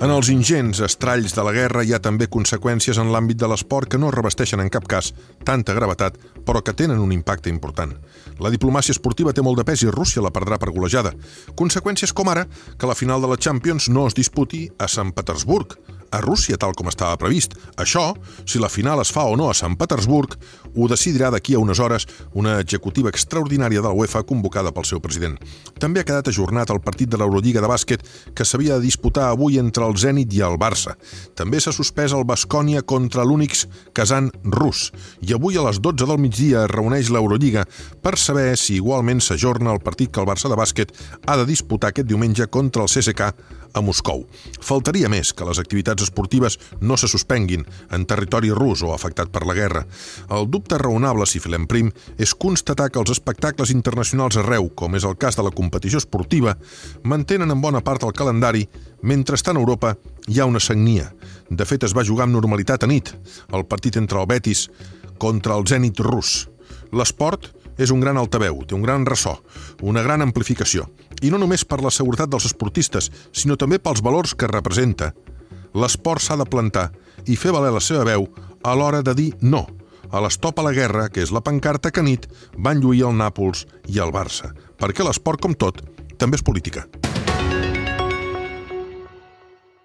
En els ingents estralls de la guerra hi ha també conseqüències en l'àmbit de l'esport que no revesteixen en cap cas tanta gravetat, però que tenen un impacte important. La diplomàcia esportiva té molt de pes i Rússia la perdrà per golejada. Conseqüències com ara que la final de la Champions no es disputi a Sant Petersburg, a Rússia, tal com estava previst. Això, si la final es fa o no a Sant Petersburg, ho decidirà d'aquí a unes hores una executiva extraordinària de la UEFA convocada pel seu president. També ha quedat ajornat el partit de l'Eurolliga de bàsquet que s'havia de disputar avui entre el Zenit i el Barça. També s'ha suspès el Baskonia contra l'Unics Kazan rus. I avui a les 12 del migdia es reuneix l'Eurolliga per saber si igualment s'ajorna el partit que el Barça de bàsquet ha de disputar aquest diumenge contra el CSKA a Moscou. Faltaria més que les activitats esportives no se suspenguin en territori rus o afectat per la guerra. El dubte raonable, si filem prim, és constatar que els espectacles internacionals arreu, com és el cas de la competició esportiva, mantenen en bona part el calendari, mentrestant a Europa hi ha una sagnia. De fet, es va jugar amb normalitat a nit, el partit entre el Betis contra el Zenit rus. L'esport és un gran altaveu, té un gran ressò, una gran amplificació. I no només per la seguretat dels esportistes, sinó també pels valors que representa. L'esport s'ha de plantar i fer valer la seva veu a l'hora de dir no a l'estop a la guerra, que és la pancarta que a nit van lluir el Nàpols i el Barça. Perquè l'esport, com tot, també és política.